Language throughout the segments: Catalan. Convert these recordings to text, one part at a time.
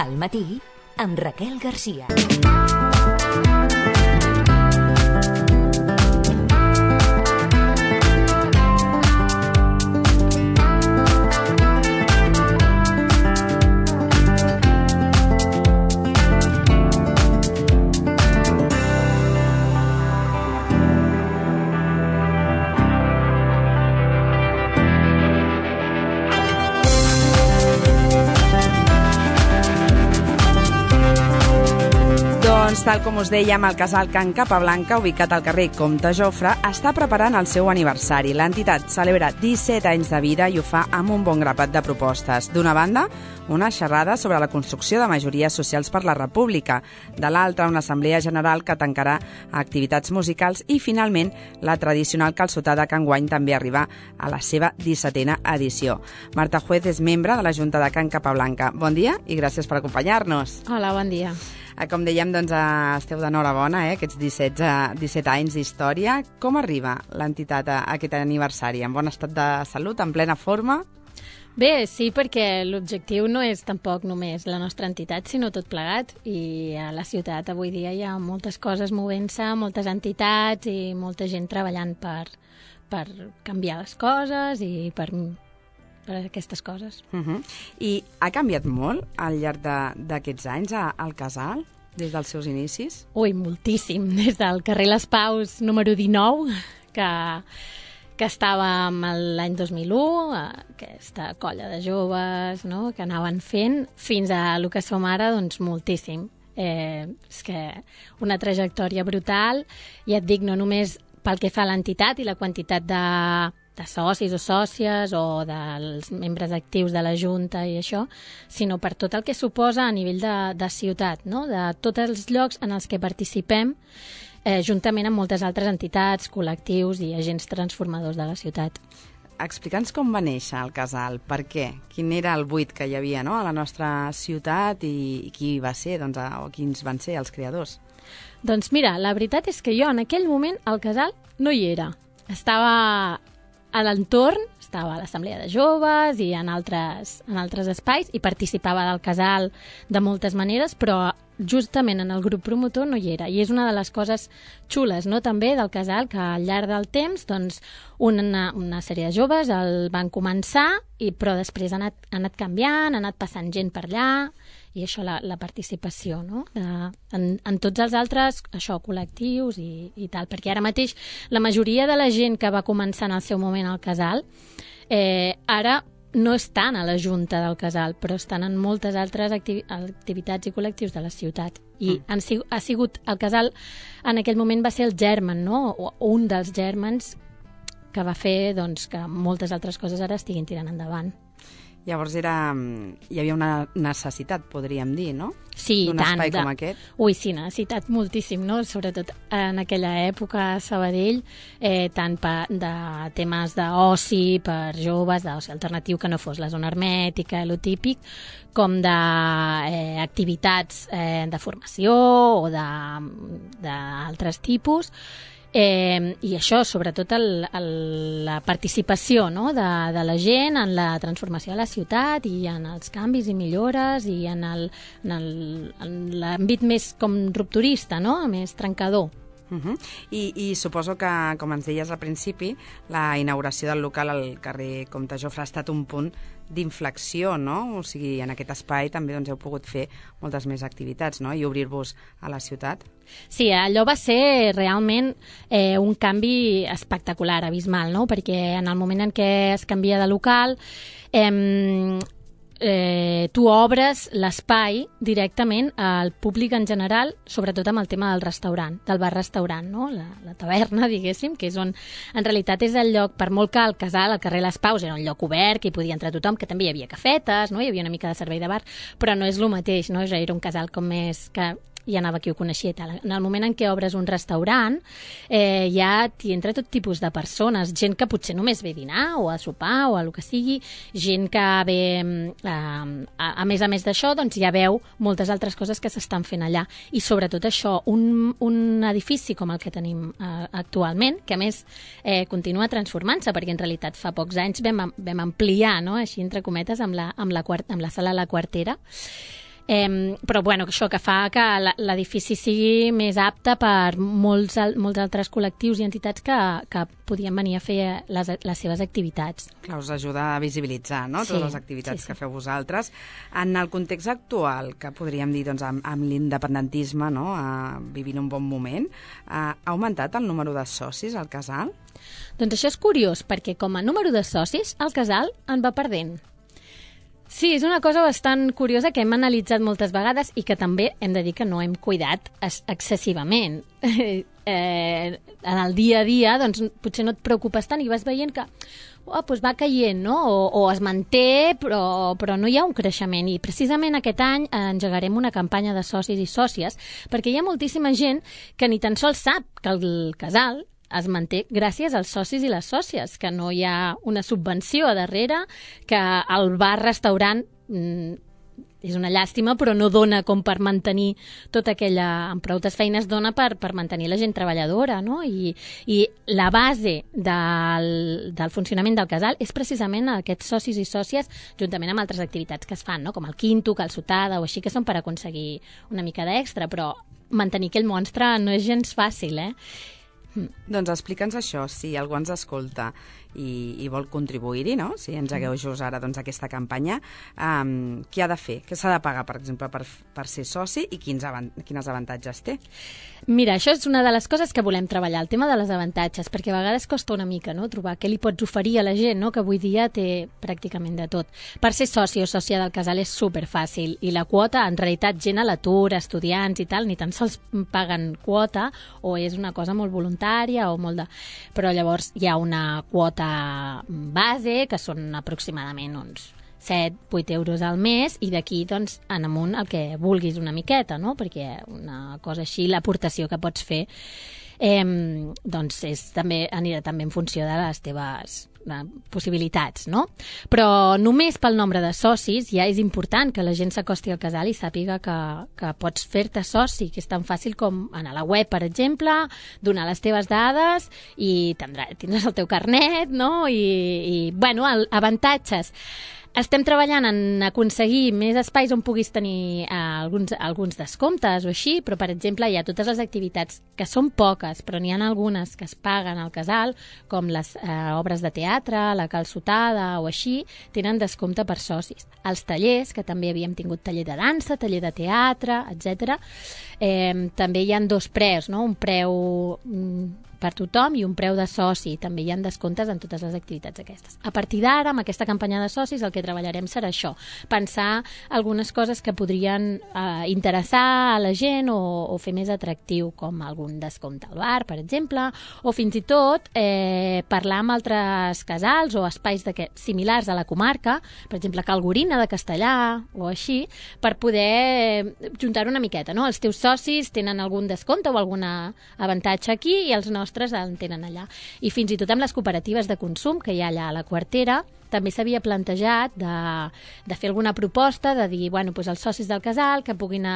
Al matí, amb Raquel Garcia. Tal com us dèiem, el casal Can Capablanca, ubicat al carrer Comte Jofre, està preparant el seu aniversari. L'entitat celebra 17 anys de vida i ho fa amb un bon grapat de propostes. D'una banda, una xerrada sobre la construcció de majories socials per la República. De l'altra, una assemblea general que tancarà activitats musicals i, finalment, la tradicional calçotada que enguany també arriba a la seva 17a edició. Marta Juez és membre de la Junta de Can Capablanca. Bon dia i gràcies per acompanyar-nos. Hola, bon dia. Com dèiem, doncs, esteu d'enhorabona, aquests 17 anys d'història. Com arriba l'entitat a aquest aniversari? En bon estat de salut, en plena forma? Bé, sí, perquè l'objectiu no és tampoc només la nostra entitat, sinó tot plegat. I a la ciutat avui dia hi ha moltes coses movent-se, moltes entitats i molta gent treballant per canviar les coses i per aquestes coses. I ha canviat molt al llarg d'aquests anys el casal, des dels seus inicis? Ui, moltíssim. Des del carrer Les Paus número 19, que estàvem l'any 2001, aquesta colla de joves, no?, que anaven fent, fins a el que som ara, doncs moltíssim. És que una trajectòria brutal, ja et dic, no només pel que fa a l'entitat i la quantitat de socis o sòcies o dels membres actius de la Junta i això, sinó per tot el que suposa a nivell de ciutat, no?, de tots els llocs en els que participem, juntament amb moltes altres entitats, col·lectius i agents transformadors de la ciutat. Explica'ns com va néixer el casal, per què? Quin era el buit que hi havia, no?, a la nostra ciutat i qui va ser, doncs, o quins van ser els creadors? Doncs mira, la veritat és que jo en aquell moment al casal no hi era. Estava a l'entorn, estava a l'assemblea de joves i en altres espais i participava del casal de moltes maneres, però justament en el grup promotor no hi era. I és una de les coses xules, no?, també del casal, que al llarg del temps doncs, una sèrie de joves el van començar, però després ha anat canviant, ha anat passant gent per allà, i això, la participació, no?, en tots els altres col·lectius i tal, perquè ara mateix la majoria de la gent que va començar en el seu moment al casal ara no estan a la Junta del casal, però estan en moltes altres activitats i col·lectius de la ciutat. I ha sigut el casal, en aquell moment va ser el germen, no?, o un dels gèrmens que va fer doncs, que moltes altres coses ara estiguin tirant endavant. Llavors hi havia una necessitat, podríem dir, no? Sí, d'un tant. Espai com aquest. Ui, sí, necessitat moltíssim, no? Sobretot en aquella època a Sabadell, tant de temes d'oci per joves, d'oci alternatiu que no fos la zona hermètica, lo típic, com d'activitats de formació o d'altres tipus. I això, sobretot la participació, no?, de la gent en la transformació de la ciutat i en els canvis i millores i en l'àmbit més com rupturista, no?, més trencador. I suposo que, com ens deies al principi, la inauguració del local al carrer Comte Jofre ha estat un punt d'inflexió, no? O sigui, en aquest espai també doncs, heu pogut fer moltes més activitats, no?, i obrir-vos a la ciutat. Sí, allò va ser realment un canvi espectacular, abismal, no?, perquè en el moment en què es canvia de local tu obres l'espai directament al públic en general, sobretot amb el tema del restaurant, del bar-restaurant, no?, la taverna, diguéssim, que és on en realitat és el lloc, per molt que el casal, al carrer Les Paus, era un lloc obert, que hi podia entrar tothom, que també hi havia cafetes, no?, hi havia una mica de servei de bar, però no és el mateix, no?, era un casal com més que hi anava qui ho coneixia i tal. En el moment en què obres un restaurant, ja t'hi entra tot tipus de persones, gent que potser només ve a dinar o a sopar o a el que sigui, gent que ve, a més d'això, doncs ja veu moltes altres coses que s'estan fent allà. I sobretot això, un edifici com el que tenim actualment, que a més continua transformant-se, perquè en realitat fa pocs anys vam ampliar, no?, així entre cometes, amb la sala La Quartera, Però bueno, això que fa que l'edifici sigui més apte per molts altres col·lectius i entitats que podien venir a fer les seves activitats. Clar, us ajuda a visibilitzar, no?, totes les activitats que feu vosaltres. En el context actual, que podríem dir doncs, amb l'independentisme, no?, vivint un bon moment, ha augmentat el número de socis al casal? Doncs això és curiós, perquè com a número de socis, el casal en va perdent. Sí, és una cosa bastant curiosa que hem analitzat moltes vegades i que també hem de dir que no hem cuidat excessivament. En el dia a dia, doncs, potser no et preocupes tant i vas veient que doncs va caient, no? O es manté, però no hi ha un creixement. I precisament aquest any engegarem una campanya de socis i sòcies, perquè hi ha moltíssima gent que ni tan sols sap que el casal es manté gràcies als socis i les sòcies, que no hi ha una subvenció a darrere, que el bar-restaurant és una llàstima, però no dona com per mantenir tota aquella... Amb proutes feines dona per mantenir la gent treballadora, no? I la base del funcionament del casal és precisament aquests socis i sòcies, juntament amb altres activitats que es fan, no?, com el quinto, calçotada o així, que són per aconseguir una mica d'extra, però mantenir aquell monstre no és gens fàcil, Doncs explica'ns això, si algú ens escolta i vol contribuir-hi, no?, si engegueu just ara doncs, aquesta campanya, què ha de fer? Què s'ha de pagar, per exemple, per ser soci i quins avantatges té? Mira, això és una de les coses que volem treballar, el tema de les avantatges, perquè a vegades costa una mica, no?, trobar què li pots oferir a la gent, no?, que avui dia té pràcticament de tot. Per ser soci o sòcia del casal és superfàcil i la quota, en realitat, gent a l'atur, estudiants i tal, ni tan sols paguen quota o és una cosa molt voluntària o molt de... Però llavors hi ha una quota base, que són aproximadament uns 7-8 euros al mes, i d'aquí doncs, en amunt el que vulguis una miqueta, no? Perquè una cosa així, l'aportació que pots fer doncs anirà també en funció de les teves possibilitats, no? Però només pel nombre de socis ja és important que la gent s'acosti al casal i sàpiga que pots fer-te soci, que és tan fàcil com anar a la web, per exemple, donar les teves dades i tindràs el teu carnet, no? I bueno, avantatges. Estem treballant en aconseguir més espais on puguis tenir alguns descomptes o així, però, per exemple, hi ha totes les activitats que són poques, però n'hi ha algunes que es paguen al casal, com les obres de teatre, la calçotada o així, tenen descompte per socis. Els tallers, que també havíem tingut taller de dansa, taller de teatre, etc. També hi ha dos preus, no? Un preu per tothom i un preu de soci. També hi ha descomptes en totes les activitats aquestes. A partir d'ara, amb aquesta campanya de socis, el que treballarem serà això, pensar algunes coses que podrien interessar a la gent o fer més atractiu, com algun descompte al bar, per exemple, o fins i tot parlar amb altres casals o espais similars a la comarca, per exemple, Cal Gorina de Castellà o així, per poder juntar una miqueta, no? Els teus socis tenen algun descompte o algun avantatge aquí i els nostres en tenen allà. I fins i tot amb les cooperatives de consum que hi ha allà a la Quartera, també s'havia plantejat de fer alguna proposta, de dir, bueno, doncs els socis del casal que puguin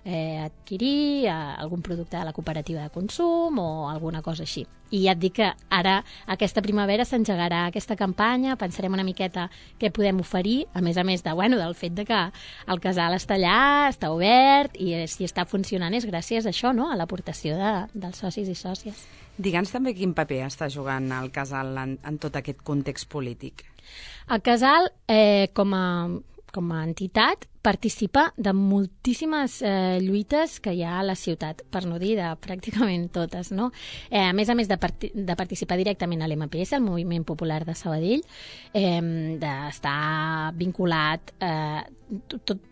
adquirir algun producte de la cooperativa de consum o alguna cosa així. I ja et dic que ara, aquesta primavera, s'engegarà aquesta campanya, pensarem una miqueta què podem oferir, a més del fet de que el casal està allà, està obert, i si està funcionant és gràcies a això, no?, a l'aportació dels socis i sòcies. Digue'ns també quin paper està jugant el casal en tot aquest context polític. El casal, com a entitat, participa de moltíssimes lluites que hi ha a la ciutat, per no dir de pràcticament totes, no? A més de participar directament a l'MPS, el Moviment Popular de Sabadell, d'estar vinculat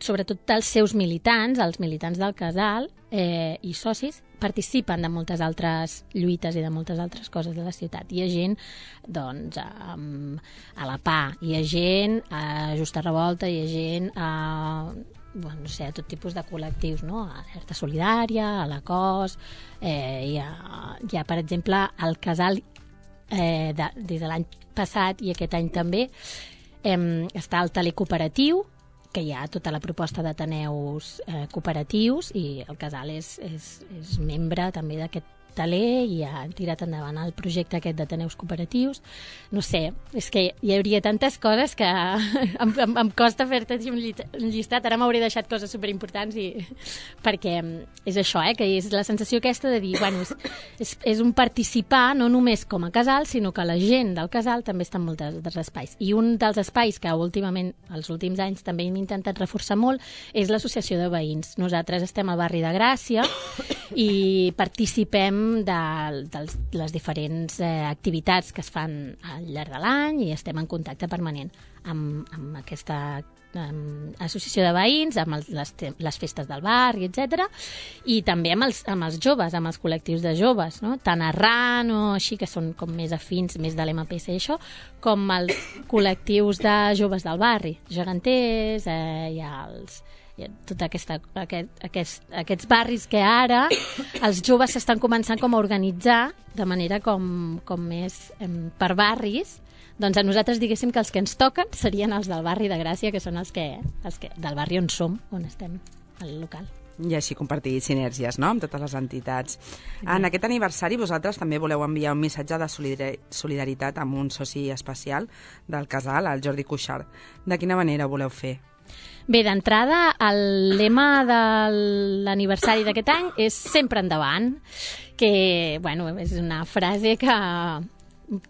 sobretot als seus militants, els militants del casal i socis, participen de moltes altres lluites i de moltes altres coses de la ciutat. Hi ha gent, doncs, a la PA, hi ha gent a Justa Revolta, hi ha gent a tot tipus de col·lectius, no? A l'Alerta Solidària, a la COS, hi ha, per exemple, al casal, des de l'any passat i aquest any també, està el taler cooperatiu, que hi ha tota la proposta d'ateneus cooperatius, i el casal és membre també d'aquest hoteler i ha tirat endavant el projecte aquest d'Ateneus Cooperatius. No sé, és que hi hauria tantes coses que em costa fer-te un llistat. Ara m'hauré deixat coses superimportants perquè és això, que és la sensació aquesta de dir, bueno, és un participar no només com a casal, sinó que la gent del casal també està en molts altres espais. I un dels espais que últimament, els últims anys, també hem intentat reforçar molt és l'associació de veïns. Nosaltres estem al barri de Gràcia i participem de les diferents activitats que es fan al llarg de l'any i estem en contacte permanent amb aquesta associació de veïns, amb les festes del barri, etc. I també amb els joves, amb els col·lectius de joves, no? Tant Arran o així, que són com més afins, més de l'MPC i això, com els col·lectius de joves del barri, geganters, tots aquests barris que ara els joves s'estan començant com a organitzar de manera com més per barris. Doncs a nosaltres diguéssim que els que ens toquen serien els del barri de Gràcia, que són els que del barri on som, on estem, al local. I així compartir sinergies, no?, amb totes les entitats. En aquest aniversari vosaltres també voleu enviar un missatge de solidaritat amb un soci especial del casal, el Jordi Cuixart. De quina manera ho voleu fer? Bé, d'entrada, el lema de l'aniversari d'aquest any és sempre endavant, que, bueno, és una frase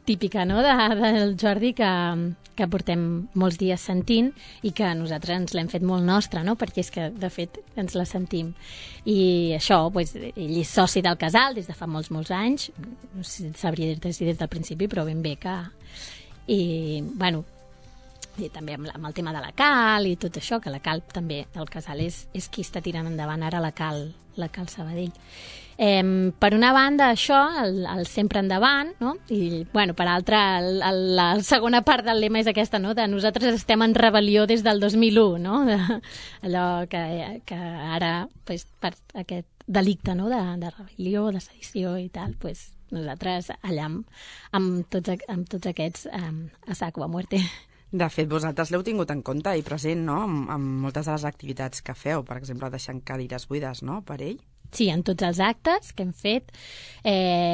típica, no?, del Jordi que portem molts dies sentint i que nosaltres ens l'hem fet molt nostra, no?, perquè és que, de fet, ens la sentim. I això, doncs, ell és soci del casal des de fa molts anys, no sé si sabria dir-te si des del principi, però ben bé que... I, bueno, i també amb el tema de la Cal i tot això, que la Cal també del casal és qui està tirant endavant ara la Cal Sabadell. Per una banda, això, el sempre endavant, no? I, bueno, per altra, la segona part del lema és aquesta, no?, de nosaltres estem en rebel·lió des del 2001, no?, allò que ara, pues, per aquest delicte, no?, de rebel·lió, de sedició i tal, pues, nosaltres allà amb tots aquests a saco, a muerte. De fet, vosaltres l'heu tingut en compte i present, no?, amb moltes de les activitats que feu, per exemple, deixant cadires buides, no?, per ell. Sí, en tots els actes que hem fet.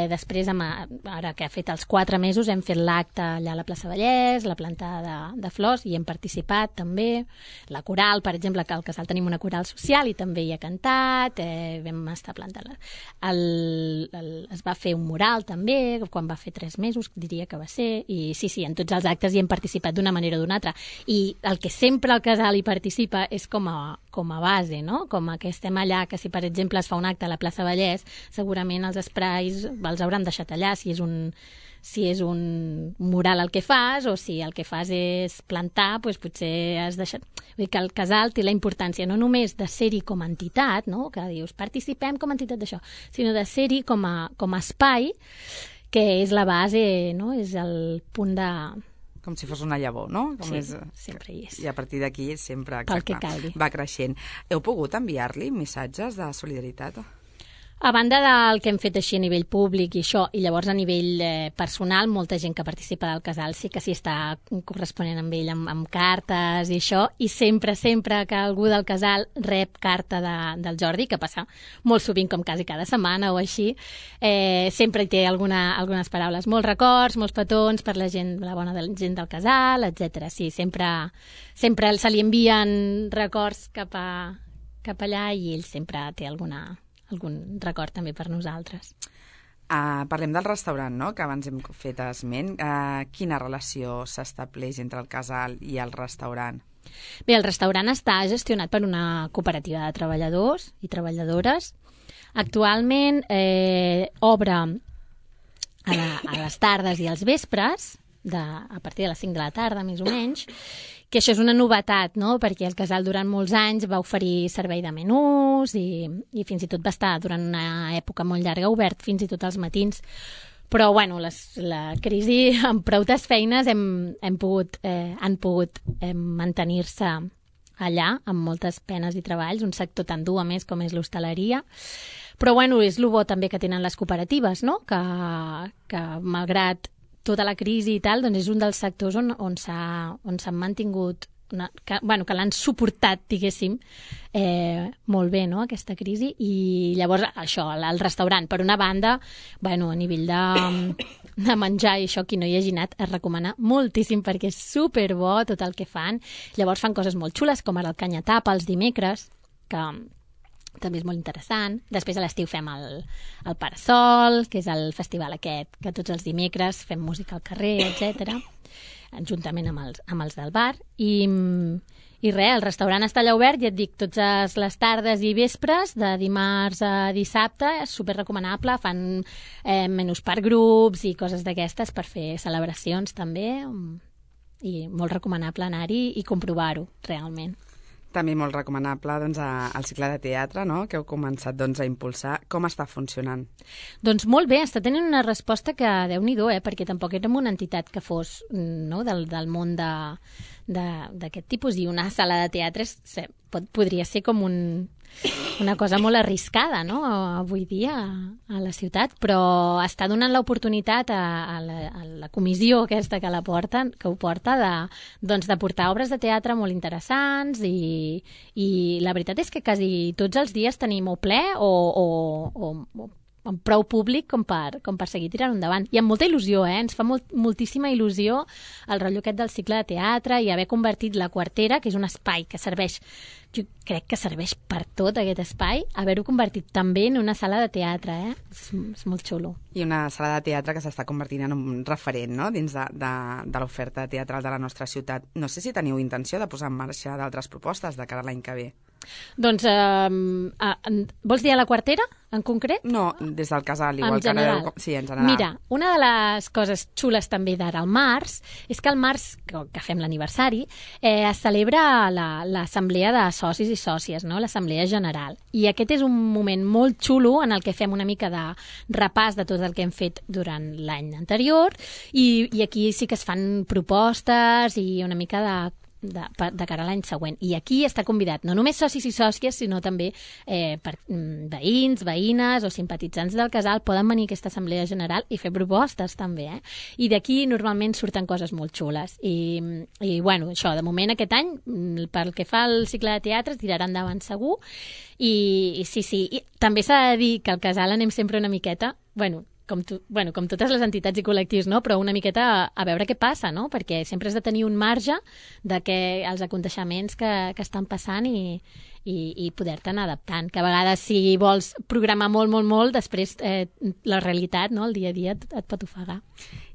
Després, ara que ha fet els 4 mesos, hem fet l'acte allà a la plaça Vallès, la plantada de flors, i hem participat també. La coral, per exemple, que al casal tenim una coral social i també hi ha cantat, vam estar plantant. Es va fer un mural també, quan va fer 3 mesos, diria que va ser, i sí, en tots els actes hi hem participat d'una manera o d'una altra. I el que sempre el casal hi participa és com a base, no?, com que estem allà, que si per exemple es fa un acte a la plaça Vallès, segurament els esprais els hauran deixat allà, si és un mural el que fas, o si el que fas és plantar, doncs potser has deixat... Vull dir que el casal té la importància no només de ser-hi com a entitat, no?, que dius participem com a entitat d'això, sinó de ser-hi com a espai, que és la base, no?, és el punt de... Com si fos una llavor, no? Sempre hi és. I a partir d'aquí sempre, exacte, va creixent. Heu pogut enviar-li missatges de solidaritat? A banda del que hem fet així a nivell públic i això, i llavors a nivell personal, molta gent que participa del casal sí que s'hi està corresponent amb ell amb cartes i això, i sempre que algú del casal rep carta del Jordi, que passa molt sovint, com quasi cada setmana o així, sempre hi té algunes paraules, molts records, molts petons per la bona gent del casal, etc. Sí, sempre se li envien records cap allà i ell sempre té algun record també per nosaltres. Parlem del restaurant, no?, que abans hem fet esment. Quina relació s'estableix entre el casal i el restaurant? Bé, el restaurant està gestionat per una cooperativa de treballadors i treballadores. Actualment obre a les tardes i als vespres, a partir de les 5 de la tarda, més o menys, que això és una novetat, no?, perquè el casal durant molts anys va oferir servei de menús i fins i tot va estar durant una època molt llarga obert fins i tot als matins. Però, bueno, la crisi, amb prou feines, han pogut mantenir-se allà, amb moltes penes i treballs, un sector tan dur, a més, com és l'hostaleria. Però, bueno, és el bo també que tenen les cooperatives, no?, que malgrat tota la crisi i tal, doncs és un dels sectors on s'han mantingut que l'han suportat, diguéssim, molt bé, no?, aquesta crisi. I llavors, això, el restaurant, per una banda, a nivell de menjar i això, qui no hi hagi anat, es recomana moltíssim perquè és superbo tot el que fan. Llavors fan coses molt xules, com ara el canyatapa els dimecres, que també és molt interessant. Després a l'estiu fem el Parasol, que és el festival aquest, que tots els dimecres fem música al carrer, etc, juntament amb els del bar. I res, el restaurant està allà obert, ja et dic, totes les tardes i vespres, de dimarts a dissabte, és super recomanable, fan menús per grups i coses d'aquestes per fer celebracions també, i molt recomanable anar-hi i comprovar-ho, realment. També molt recomanable el cicle de teatre, no?, que heu començat a impulsar. Com està funcionant? Doncs molt bé, està tenint una resposta que, Déu-n'hi-do, perquè tampoc érem una entitat que fos, no?, del món d'aquest tipus, i una sala de teatre podria ser com una cosa molt arriscada, no?, avui dia a la ciutat, però està donant l'oportunitat a la comissió aquesta que ho porta de portar obres de teatre molt interessants, i la veritat és que quasi tots els dies tenim o ple o amb prou públic com per seguir tirant endavant. I amb molta il·lusió, ens fa moltíssima il·lusió el rotllo aquest del cicle de teatre i haver convertit la Quartera, que és un espai que serveix, jo crec que serveix per tot aquest espai, haver-ho convertit també en una sala de teatre, és molt xulo. I una sala de teatre que s'està convertint en un referent, no?, dins de l'oferta teatral de la nostra ciutat. No sé si teniu intenció de posar en marxa d'altres propostes de cara a l'any que ve. Doncs, vols dir a la Quartera, en concret? No, des del casal, igual en general. Sí, en general. Mira, una de les coses xules també d'ara al març és que al març, que fem l'aniversari, es celebra l'assemblea de socis i sòcies, no?, l'assemblea general. I aquest és un moment molt xulo en el que fem una mica de repàs de tot el que hem fet durant l'any anterior, i aquí sí que es fan propostes i una mica de cara a l'any següent. I aquí està convidat no només socis i sòcies, sinó també veïns, veïnes o simpatitzants del casal poden venir a aquesta assemblea general i fer propostes també, I d'aquí normalment surten coses molt xules. I bueno, això, de moment aquest any, pel que fa al cicle de teatre, tirarà endavant segur. I sí, i també s'ha de dir que al casal anem sempre una miqueta, com totes les entitats i col·lectius, no?, però una miqueta a veure què passa, no?, perquè sempre has de tenir un marge de els aconteixements que estan passant i poder-te'n adaptant, que a vegades si vols programar molt, després la realitat, no?, el dia a dia et pot ofegar.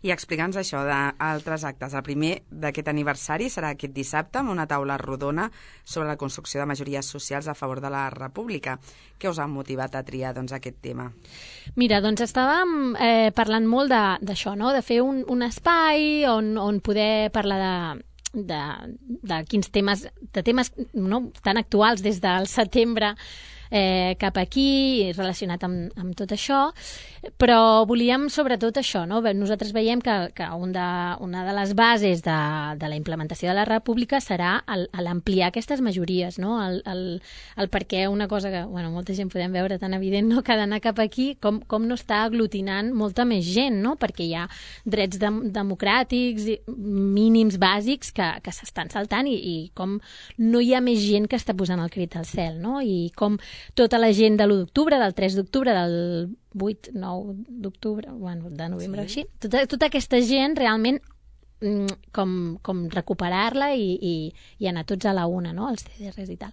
I explica'ns això d'altres actes. El primer d'aquest aniversari serà aquest dissabte amb una taula rodona sobre la construcció de majories socials a favor de la República. Què us ha motivat a triar aquest tema? Mira, doncs estàvem parlant molt d'això, no?, de fer un espai on poder parlar de quins temes, no?, tan actuals des del setembre cap aquí, relacionat amb tot això, però volíem sobretot això, no? Nosaltres veiem que una de les bases de la implementació de la República serà l'ampliar aquestes majories, no? El perquè una cosa que molta gent podem veure tan evident, no?, que ha d'anar cap aquí, com no està aglutinant molta més gent, no?, perquè hi ha drets democràtics mínims bàsics que s'estan saltant i com no hi ha més gent que està posant el crit al cel, no?, i com tota la gent de l'1 d'octubre, del 3 d'octubre, del 8, 9 d'octubre, de novembre, sí. Així, tota aquesta gent realment com recuperar-la i anar tots a la una, no?, els CDRs i tal.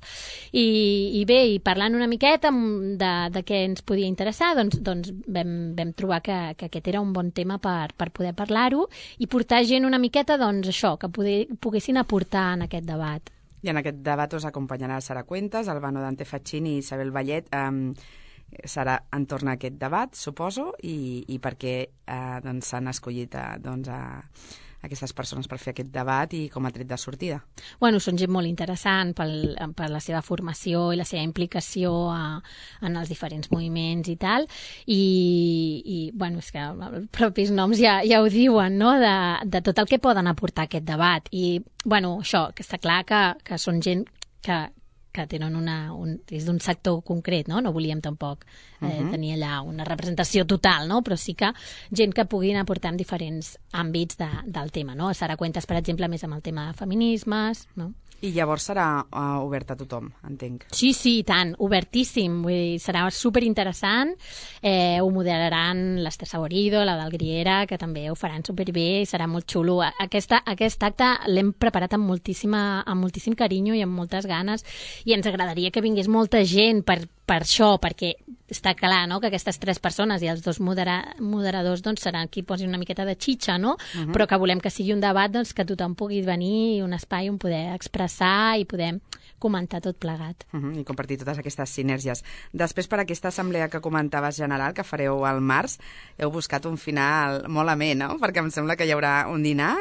I bé, i parlant una miqueta de què ens podia interessar, doncs vam trobar que aquest era un bon tema per poder parlar-ho i portar gent una miqueta, això, que poguessin aportar en aquest debat. I en aquest debat us acompanyarà Sara Cuentas, Albano Dante Faccini i Isabel Vallet. Serà entorn a aquest debat, suposo, i per què s'han escollit aquestes persones per fer aquest debat i com a tret de sortida? Són gent molt interessant per la seva formació i la seva implicació en els diferents moviments i tal, i és que els propis noms ja ho diuen, no?, de tot el que poden aportar a aquest debat. I, això, que està clar que són gent que que tenen és d'un sector concret, no? No volíem tampoc tenir allà una representació total, no? Però sí que gent que puguin aportar en diferents àmbits del tema, no? Serà Cuentes, per exemple, més amb el tema de feminismes, no? I llavors serà obert a tothom, entenc. Sí, i tant, obertíssim. Vull dir, serà superinteressant. Ho moderaran l'Ester Saborido, la del Griera, que també ho faran superbé i serà molt xulo. Aquest acte l'hem preparat amb moltíssim carinyo i amb moltes ganes, i ens agradaria que vingués molta gent per això, perquè està clar, no?, que aquestes 3 persones i els 2 moderadors doncs, seran qui posin una miqueta de xitxa, no? Però que volem que sigui un debat doncs, que tothom pugui venir i un espai on poder expressar i poder comentar tot plegat. I compartir totes aquestes sinergies. Després, per aquesta assemblea que comentaves general, que fareu al març, heu buscat un final molt amè, no? Perquè em sembla que hi haurà un dinar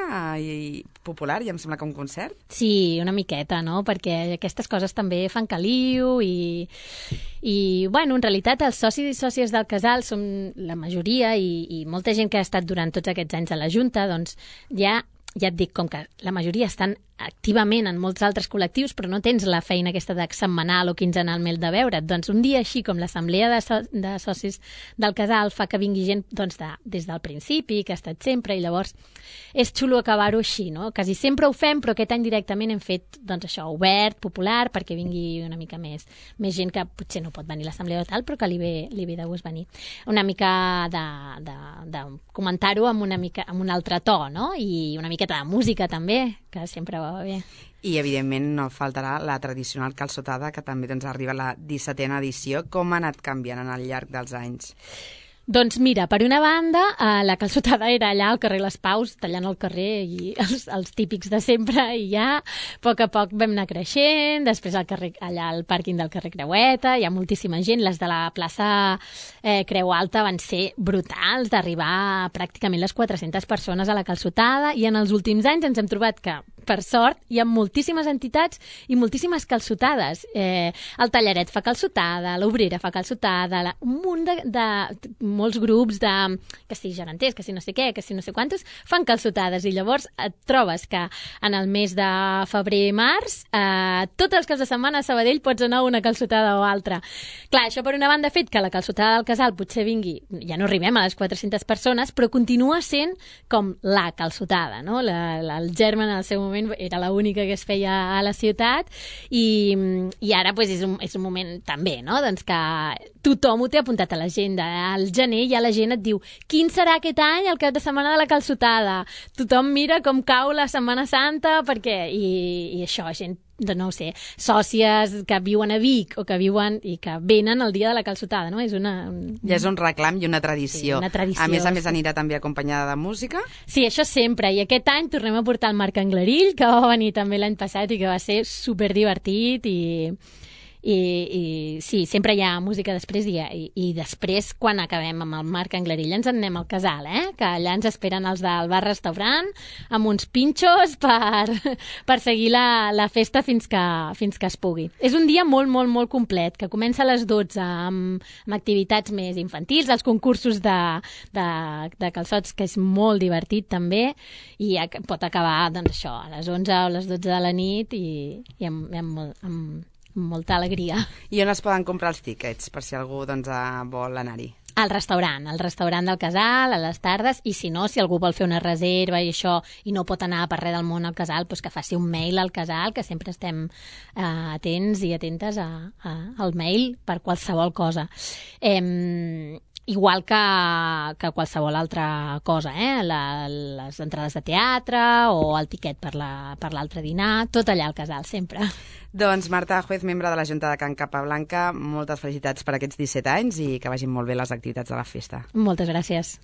popular i em sembla que un concert. Sí, una miqueta, no? Perquè aquestes coses també fan caliu i bueno, en realitat els socis i sòcies del casal som la majoria i molta gent que ha estat durant tots aquests anys a la Junta, doncs ja et dic, com que la majoria estan activament en molts altres col·lectius, però no tens la feina aquesta de setmanal o quinzenalment de veure't. Doncs un dia així, com l'assemblea de socis del casal fa que vingui gent doncs, des del principi, que ha estat sempre, i llavors és xulo acabar-ho així, no? Quasi sempre ho fem, però aquest any directament hem fet doncs, això, obert, popular, perquè vingui una mica més gent que potser no pot venir a l'assemblea o tal, però que li ve de gust venir. Una mica de comentar-ho amb un altre to, no? I una miqueta de música també, que sempre va bé. I, evidentment, no faltarà la tradicional calçotada, que també doncs, arriba a la 17a edició. Com ha anat canviant al llarg dels anys? Doncs mira, per una banda, la calçotada era allà al carrer Les Paus, tallant el carrer i els típics de sempre, i ja a poc vam anar creixent. Després allà al pàrquing del carrer Creueta hi ha moltíssima gent. Les de la plaça Creu Alta van ser brutals, d'arribar pràcticament les 400 persones a la calçotada, i en els últims anys ens hem trobat que, per sort, hi ha moltíssimes entitats i moltíssimes calçotades. El Tallaret fa calçotada, l'Obrera fa calçotada, un munt de molts grups que si geganters, que si no sé què, que si no sé quantos, fan calçotades, i llavors et trobes que en el mes de febrer-març tots els caps de setmana a Sabadell pots anar a una calçotada o altra. Clar, això per una banda ha fet que la calçotada del casal potser vingui, ja no arribem a les 400 persones, però continua sent com la calçotada, no? El Germen en el seu moment era l'única que es feia a la ciutat, i ara pues, és un moment també, no? Doncs que tothom ho té apuntat a l'agenda. Al gener ja la gent et diu quin serà aquest any el cap de setmana de la calçotada. Tothom mira com cau la Setmana Santa, perquè i això, gent, no ho sé, sòcies que viuen a Vic o que viuen i que venen el dia de la calçotada, no? Ja és un reclam i una tradició. Sí, una tradició. A més anirà també acompanyada de música? Sí, això sempre. I aquest any tornem a portar el Marc Anglerill, que va venir també l'any passat i que va ser superdivertit i sí, sempre hi ha música després i després, quan acabem amb el Marc Anglerill, ens en anem al casal, que allà ens esperen els del bar-restaurant amb uns pinxos per seguir la festa fins que es pugui. És un dia molt, molt, molt complet, que comença a les 12 amb activitats més infantils, els concursos de calçots, que és molt divertit també, i pot acabar doncs, això, a les 11 o les 12 de la nit i amb molta alegria. I on es poden comprar els tíquets, per si algú doncs, vol anar-hi? Al restaurant del casal, a les tardes, i si no, si algú vol fer una reserva i això, i no pot anar per res del món al casal, doncs que faci un mail al casal, que sempre estem atents i atentes al mail per qualsevol cosa. Igual que qualsevol altra cosa, les entrades de teatre o el tiquet per l'altre dinar, tot allà al casal, sempre. Doncs Marta Juez, membre de la Junta de Can Capablanca, moltes felicitats per aquests 17 anys i que vagin molt bé les activitats de la festa. Moltes gràcies.